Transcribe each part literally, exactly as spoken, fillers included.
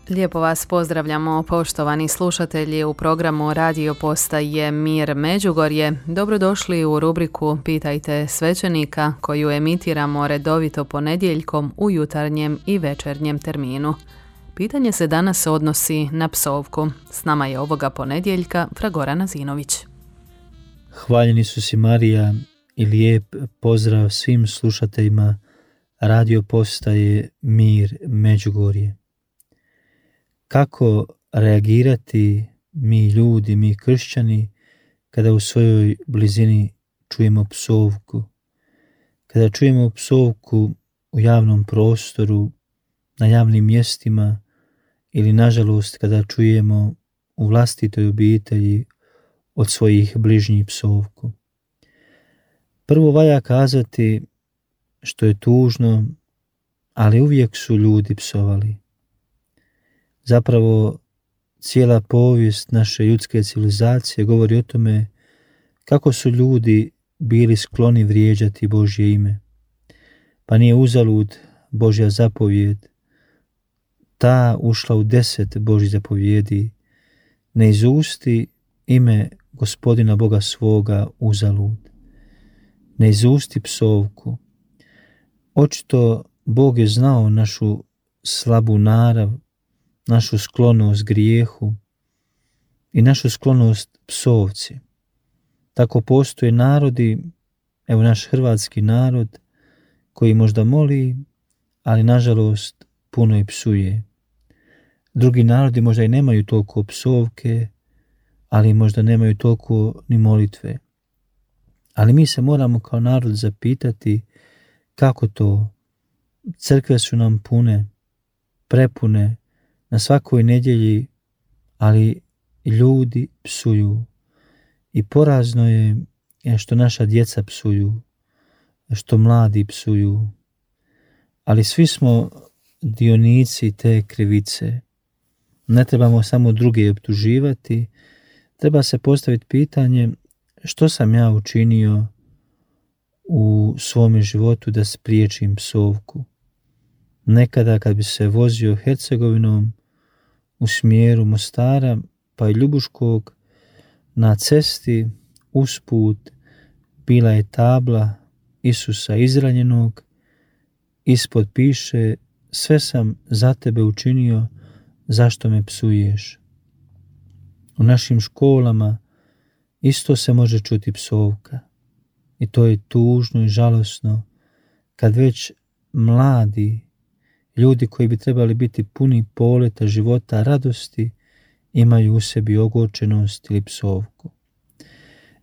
Lijepo vas pozdravljamo, poštovani slušatelji, u programu Radio Postaje Mir Međugorje. Dobrodošli u rubriku Pitajte svećenika, koju emitiramo redovito ponedjeljkom u jutarnjem i večernjem terminu. Pitanje se danas odnosi na psovku. S nama je ovoga ponedjeljka Fragorana Zinović. Hvaljen Isus i Marija i lijep pozdrav svim slušateljima Radio Postaje Mir Međugorje. Kako reagirati mi ljudi, mi kršćani, kada u svojoj blizini čujemo psovku? Kada čujemo psovku u javnom prostoru, na javnim mjestima ili nažalost kada čujemo u vlastitoj obitelji od svojih bližnjih psovku. Prvo valja kazati što je tužno, ali uvijek su ljudi psovali. Zapravo, cijela povijest naše ljudske civilizacije govori o tome kako su ljudi bili skloni vrijeđati Božje ime. Pa nije uzalud Božja zapovjed, ta ušla u deset Božjih zapovjedi, ne izusti ime Gospodina Boga svoga uzalud. Ne izusti psovku. Očito Bog je znao našu slabu narav, našu sklonost grijehu i našu sklonost psovci. Tako postoje narodi, evo naš hrvatski narod, koji možda moli, ali nažalost puno i psuje. Drugi narodi možda i nemaju toliko psovke, ali možda nemaju toliko ni molitve. Ali mi se moramo kao narod zapitati kako to. Crkve su nam pune, prepune, na svakoj nedjelji, ali ljudi psuju. I porazno je što naša djeca psuju, što mladi psuju. Ali svi smo dionici te krivice. Ne trebamo samo druge optuživati, treba se postaviti pitanje što sam ja učinio u svome životu da spriječim psovku. Nekada kad bi se vozio Hercegovinom u smjeru Mostara pa i Ljubuškog, na cesti usput bila je tabla Isusa izranjenog, ispod piše: sve sam za tebe učinio, zašto me psuješ? U našim školama isto se može čuti psovka i to je tužno i žalosno kad već mladi ljudi koji bi trebali biti puni poleta, života, radosti, imaju u sebi ogorčenost ili psovku.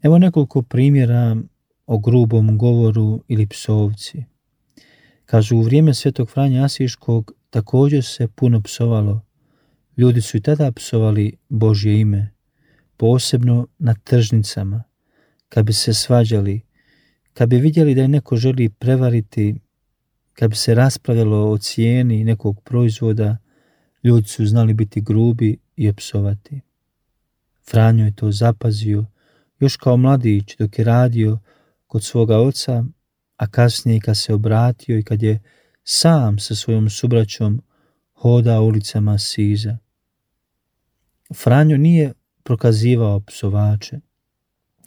Evo nekoliko primjera o grubom govoru ili psovci. Kažu, u vrijeme svetog Franje Asiškog također se puno psovalo. Ljudi su i tada psovali Božje ime, posebno na tržnicama, kad bi se svađali, kad bi vidjeli da je neko želi prevariti, kad bi se raspravljalo o cijeni nekog proizvoda, ljudi su znali biti grubi i opsovati. Franjo je to zapazio još kao mladić dok je radio kod svoga oca, a kasnije kad se obratio i kad je sam sa svojom subraćom hodao ulicama Siza. Franjo nije prokazivao psovače,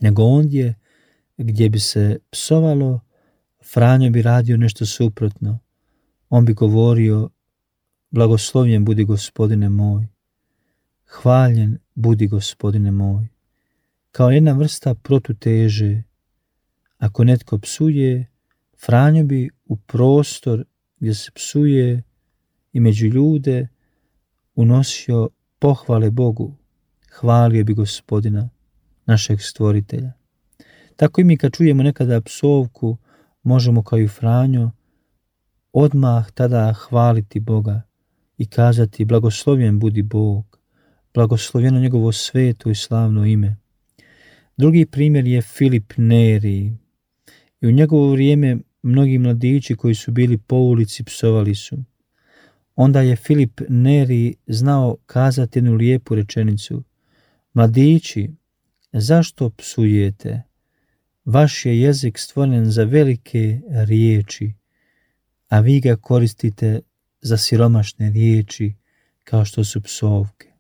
nego ondje gdje bi se psovalo, Franjo bi radio nešto suprotno. On bi govorio: blagoslovljen budi Gospodine moj, hvaljen budi Gospodine moj. Kao jedna vrsta protuteže. Ako netko psuje, Franjo bi u prostor gdje se psuje i među ljude unosio pohvale Bogu, hvalio bi Gospodina, našeg stvoritelja. Tako i mi kad čujemo nekada psovku, možemo kao i Franjo odmah tada hvaliti Boga i kazati: blagoslovljen budi Bog, blagoslovljeno njegovo sveto i slavno ime. Drugi primjer je Filip Neri. I u njegovo vrijeme mnogi mladići koji su bili po ulici psovali su. Onda je Filip Neri znao kazati jednu lijepu rečenicu: mladići, zašto psujete? Vaš je jezik stvoren za velike riječi, a vi ga koristite za siromašne riječi kao što su psovke.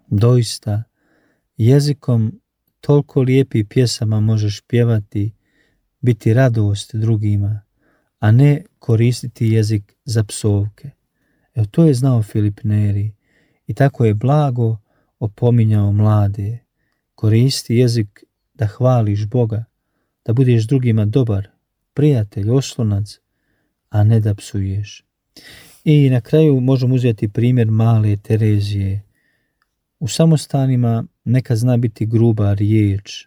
Doista, jezikom toliko lijepih pjesama možeš pjevati, biti radost drugima, a ne koristiti jezik za psovke. Evo, to je znao Filip Neri i tako je blago opominjao mlade. Koristi jezik da hvališ Boga, da budeš drugima dobar, prijatelj, oslonac, a ne da psuješ. I na kraju možemo uzeti primjer male Terezije. U samostanima neka zna biti gruba riječ,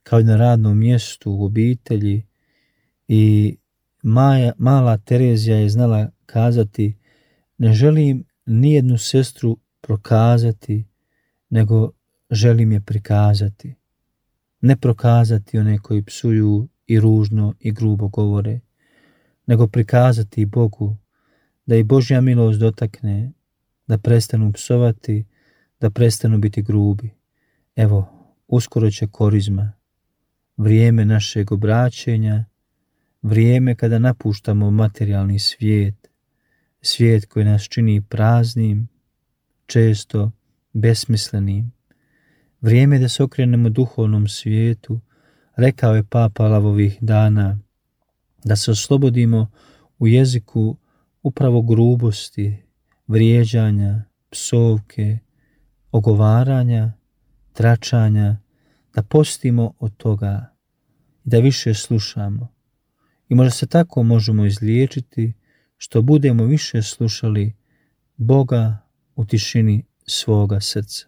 kao i na radnom mjestu, u obitelji, i Maja, mala Terezija je znala kazati: ne želim nijednu sestru prokazati, nego želim je prikazati. Ne prokazati one koji psuju i ružno i grubo govore, nego prikazati Bogu, da i Božja milost dotakne, da prestanu psovati, da prestanu biti grubi. Evo, uskoro će Korizma, vrijeme našeg obraćenja, vrijeme kada napuštamo materijalni svijet, svijet koji nas čini praznim, često besmislenim. Vrijeme da se okrenemo duhovnom svijetu. Rekao je Papa Lavovih dana da se oslobodimo u jeziku upravo grubosti, vrijeđanja, psovke, ogovaranja, tračanja, da postimo od toga i da više slušamo. I možda se tako možemo izliječiti, što budemo više slušali Boga u tišini svoga srca.